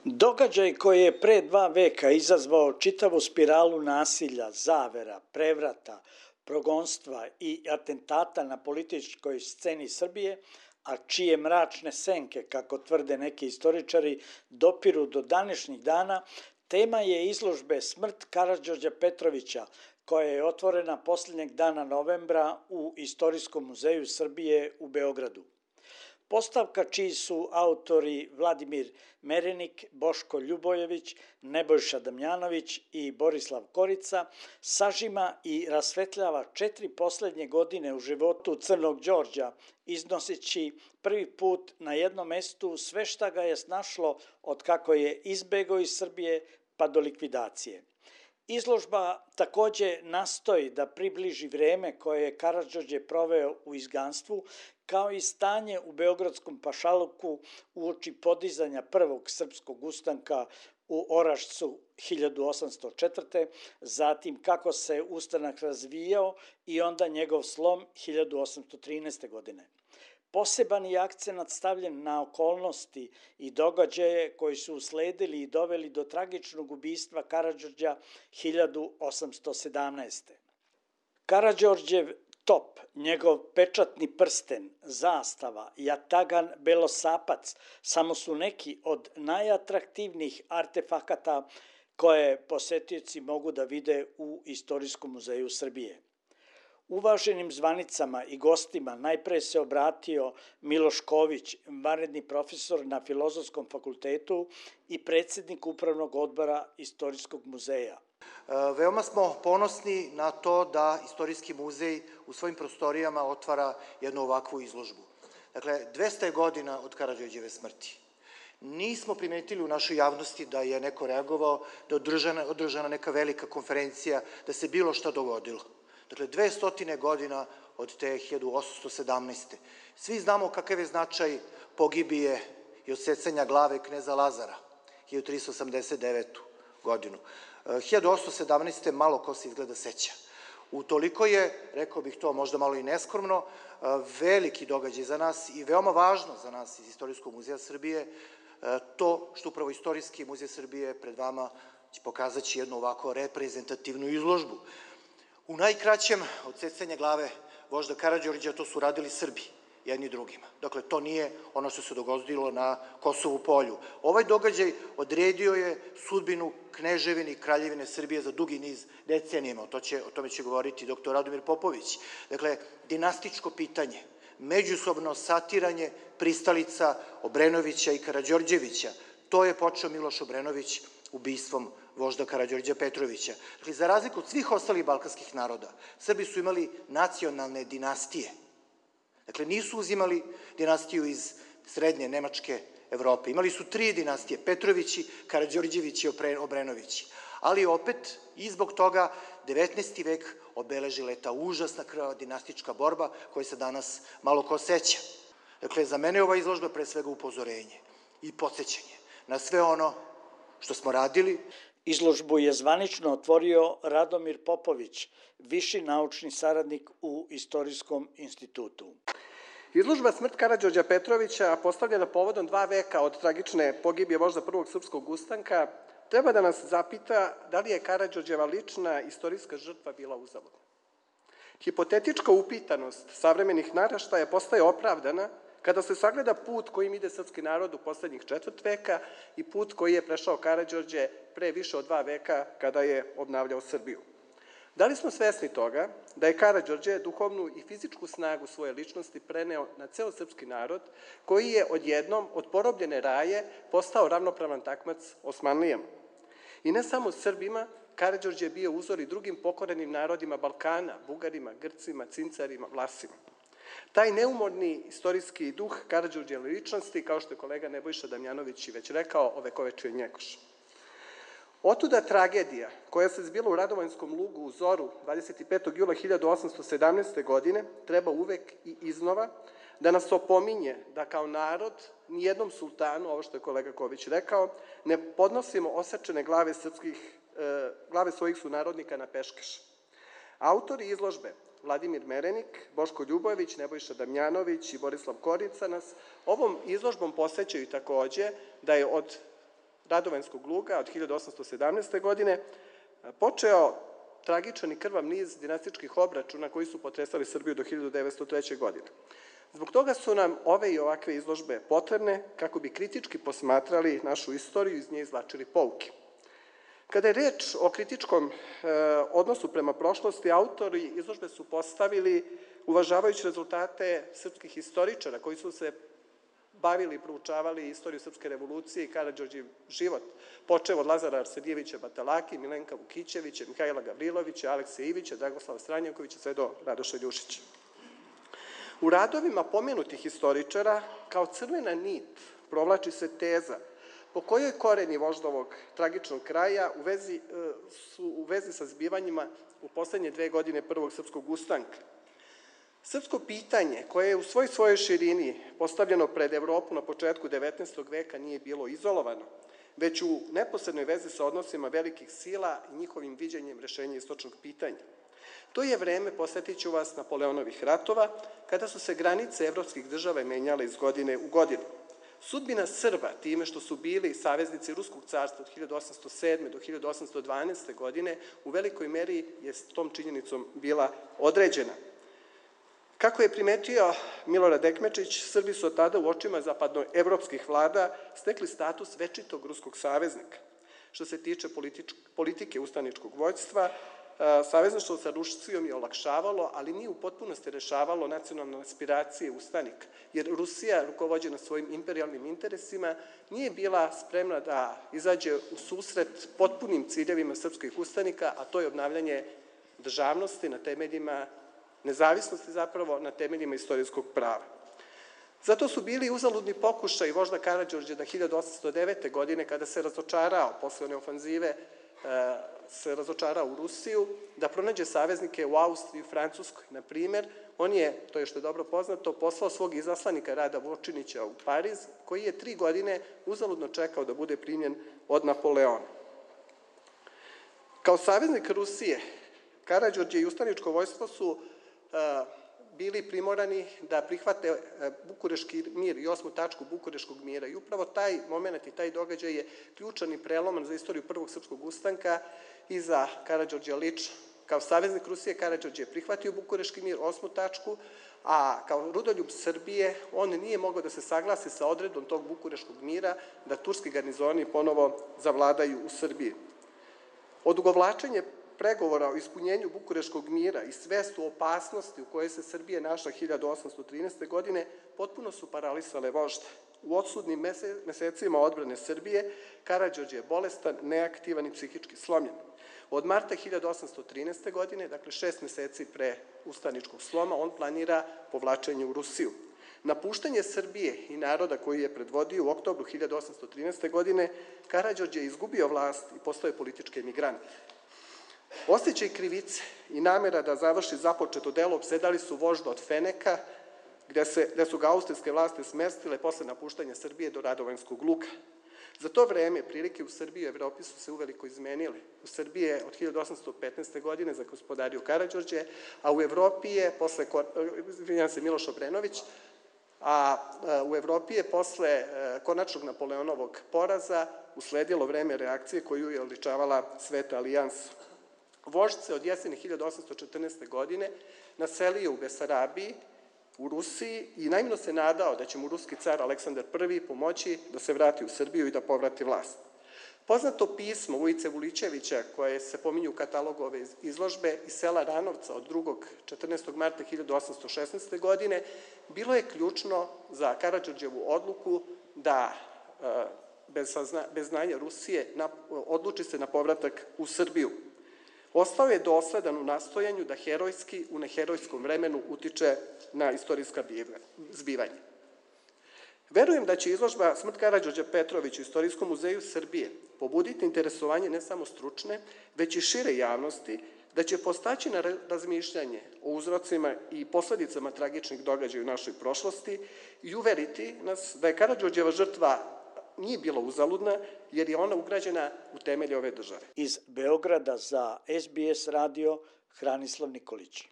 Događaj koji je pre 2 veka izazvao čitavu spiralu nasilja, zavera, prevrata, progonstva i atentata na političkoj sceni Srbije, a čije mračne senke, kako tvrde neki istoričari, dopiru do današnjih dana, tema je izložbe Smrt Karađorđa Petrovića, koja je otvorena poslednjeg dana novembra u Istorijskom muzeju Srbije u Beogradu. Postavka čiji su autori Vladimir Merenik, Boško Ljubojević, Nebojša Damjanović i Borislav Korica sažima i rasvetljava 4 poslednje godine u životu Crnog Đorđa, iznoseći prvi put na jednom mestu sve šta ga je snašlo od kako je izbegao iz Srbije pa do likvidacije. Izložba takođe nastoji da približi vreme koje je Karađorđe proveo u izganstvu, kao i stanje u beogradskom pašaluku uoči podizanja prvog srpskog ustanka u Orašcu 1804. Zatim kako se ustanak razvijao i onda njegov slom 1813. godine. Poseban je akcenat stavljen na okolnosti i događaje koji su usledili i doveli do tragičnog ubistva Karađorđa 1817. Karađorđev top, njegov pečatni prsten, zastava, jatagan belosapac samo su neki od najatraktivnijih artefakata koje posetioci mogu da vide u Istorijskom muzeju Srbije. Uvaženim zvanicama i gostima najpre se obratio Miloš Ković, vanredni profesor na Filozofskom fakultetu i predsednik Upravnog odbora Istorijskog muzeja. Veoma smo ponosni na to da Istorijski muzej u svojim prostorijama otvara jednu ovakvu izložbu. Dakle, 200 godina od Karađorđeve smrti. Nismo primetili u našoj javnosti da je neko reagovao, da je održana neka velika konferencija, da se bilo šta dogodilo. Dakle, 200 godina od te 1817. Svi znamo kakav je značaj pogibije i odsecanja glave kneza Lazara, 1389. godinu. 1817. malo ko se izgleda seća. Utoliko je, rekao bih to možda malo i neskromno, veliki događaj za nas i veoma važno za nas iz Istorijskog muzeja Srbije, to što upravo Istorijski muzej Srbije pred vama će pokazati jednu ovako reprezentativnu izložbu. U najkraćem, odsecanje glave vožda Karađorđa to su radili Srbi, jedni drugima. Dakle, to nije ono što se dogodilo na Kosovu polju. Ovaj događaj odredio je sudbinu kneževine i kraljevine Srbije za dugi niz decenijama. O tome će govoriti dr. Radomir Popović. Dakle, dinastičko pitanje, međusobno satiranje pristalica Obrenovića i Karađorđevića. To je počeo Miloš Obrenović ubistvom vožda Karađorđa Petrovića. Dakle, za razliku od svih ostalih balkanskih naroda, Srbi su imali nacionalne dinastije. Dakle, nisu uzimali dinastiju iz srednje Nemačke Evrope. Imali su 3 dinastije, Petrovići, Karađorđevići i Obrenovići. Ali opet, i zbog toga, 19. vek obeležila je ta užasna krvava dinastička borba koja se danas malo ko seća. Dakle, za mene je ova izložba pre svega upozorenje i podsjećanje na sve ono što smo radili. Izložbu je zvanično otvorio Radomir Popović, viši naučni saradnik u Istorijskom institutu. Izložba Smrt Karađorđa Petrovića, postavljena povodom 2 veka od tragične pogibije vožda prvog srpskog ustanka, treba da nas zapita da li je Karađorđeva lična istorijska žrtva bila uzaludna. Hipotetička upitanost savremenih naraštaja postaje opravdana kada se sagleda put kojim ide srpski narod u poslednjih 4 veka i put koji je prešao Karađorđe pre više od 2 veka kada je obnavljao Srbiju. Da li smo svesni toga da je Karađorđe duhovnu i fizičku snagu svoje ličnosti preneo na ceo srpski narod, koji je odjednom od porobljene raje postao ravnopravan takmac Osmanlijama? I ne samo Srbima, Karađorđe je bio uzor i drugim pokorenim narodima Balkana, Bugarima, Grcima, Cincarima, Vlasima. Taj neumorni istorijski duh Karađorđeve ličnosti, kao što je kolega Nebojša Damjanović i već rekao, ovekovečuje Njegoš. Otuda tragedija koja se zbila u Radovanjskom lugu u zoru 25. jula 1817. godine treba uvek i iznova da nas opominje da kao narod nijednom sultanu, ovo što je kolega Ković rekao, ne podnosimo osečene glave svojih sunarodnika na peškeš. Autori izložbe Vladimir Merenik, Boško Ljubojević, Nebojša Damjanović i Borislav Korica nas ovom izložbom podsećaju takođe da je od Radovanjskog luga od 1817. godine počeo tragičan i krvav niz dinastičkih obračuna koji su potresali Srbiju do 1903. godine. Zbog toga su nam ove i ovakve izložbe potrebne kako bi kritički posmatrali našu istoriju i iz nje izvlačili pouke. Kada je reč o kritičkom odnosu prema prošlosti, autori izložbe su postavili, uvažavajući rezultate srpskih istoričara koji su se bavili i proučavali istoriju srpske revolucije i Karađorđev život, počev od Lazara Arsenijevića Batalaki, Milenka Vukićevića, Mihajla Gavrilovića, Alekse Ivića, Dragoslava Stranjakovića, sve do Radoša Ljušića. U radovima pomenutih istoričara kao crvena nit provlači se teza po kojoj koreni voždovog tragičnog kraja su u vezi sa zbivanjima u poslednje 2 godine Prvog srpskog ustanka. Srpsko pitanje, koje je u svojoj širini postavljeno pred Evropu na početku 19. veka, nije bilo izolovano, već u neposrednoj vezi sa odnosima velikih sila i njihovim viđenjem rešenja istočnog pitanja. To je vreme, podsjetit ću vas, Napoleonovih ratova, kada su se granice evropskih država menjale iz godine u godinu. Sudbina Srba, time što su bili saveznici Ruskog carstva od 1807. do 1812. godine, u velikoj meri je s tom činjenicom bila određena. Kako je primetio Milorad Ekmečić, Srbi su od tada u očima zapadnoevropskih vlada stekli status večitog ruskog saveznika. Što se tiče politike ustaničkog vođstva, savezništvo sa Rusijom je olakšavalo, ali nije u potpunosti rešavalo nacionalne aspiracije ustanika, jer Rusija, rukovođena svojim imperijalnim interesima, nije bila spremna da izađe u susret potpunim ciljevima srpskih ustanika, a to je obnavljanje državnosti na temeljima nezavisnosti, zapravo na temeljima istorijskog prava. Zato su bili uzaludni pokušaj vožda Karađorđa da 1809. godine, kada se razočarao posle one ofanzive, se razočarao u Rusiju, da pronađe saveznike u Austriji i Francuskoj. Na primer, on je, to je što je dobro poznato, poslao svog izaslanika Rada Vočinića u Pariz, koji je 3 godine uzaludno čekao da bude primljen od Napoleona. Kao saveznik Rusije, Karađorđe i ustaničko vojstvo su bili primorani da prihvate Bukureški mir i 8. tačku Bukureškog mira. I upravo taj moment i taj događaj je ključan i preloman za istoriju Prvog srpskog ustanka i za Karađorđa lično. Kao saveznik Rusije, Karađorđe je prihvatio Bukureški mir, 8. tačku, a kao rudoljub Srbije on nije mogao da se saglasi sa odredbom tog Bukureškog mira da turski garnizoni ponovo zavladaju u Srbiji. Odugovlačenje pregovora o ispunjenju Bukureškog mira i svest o opasnosti u kojoj se Srbija našla 1813. godine potpuno su paralisale vožda. U odsudnim mesecima odbrane Srbije Karađorđe je bolestan, neaktivan i psihički slomljen. Od marta 1813. godine, dakle 6 meseci pre ustaničkog sloma, on planira povlačenje u Rusiju. Napuštanje Srbije i naroda koji je predvodio u oktobru 1813. godine, Karađorđe je izgubio vlast i postao je politički emigrant. Osjećaj krivice i namera da završi započeto delo opsedali su vožda od Feneka, gde su ga austrijske vlasti smestile posle napuštanja Srbije do Radovanjskog luga. Za to vreme prilike u Srbiji i Evropi su se uveliko izmenile. U Srbiji je od 1815. godine zagospodario Karađorđe, a u Evropi je posle, Miloš Obrenović, a u Evropi je posle konačnog Napoleonovog poraza usledilo vreme reakcije koju je odličavala Sveta alijansa. Vožd se od jeseni 1814. godine naselio u Besarabiji, u Rusiji i naivno se nadao da će mu ruski car Aleksandar I pomoći da se vrati u Srbiju i da povrati vlast. Poznato pismo Vujice Vulićevića, koje se pominju u katalogu ove izložbe, iz sela Ranovca od 14. marta 1816. godine, bilo je ključno za Karađorđevu odluku da bez znanja Rusije odluči se na povratak u Srbiju. Ostao je dosledan u nastojanju da herojski u neherojskom vremenu utiče na istorijska zbivanja. Verujem da će izložba Smrt Karađorđa Petrovića u Istorijskom muzeju Srbije pobuditi interesovanje ne samo stručne, već i šire javnosti, da će postaći na razmišljanje o uzrocima i posledicama tragičnih događaja u našoj prošlosti i uveriti nas da je Karađorđeva žrtva nije bila uzaludna, jer je ona ugrađena u temelje ove države. Iz Beograda za SBS radio Hranislav Nikolić.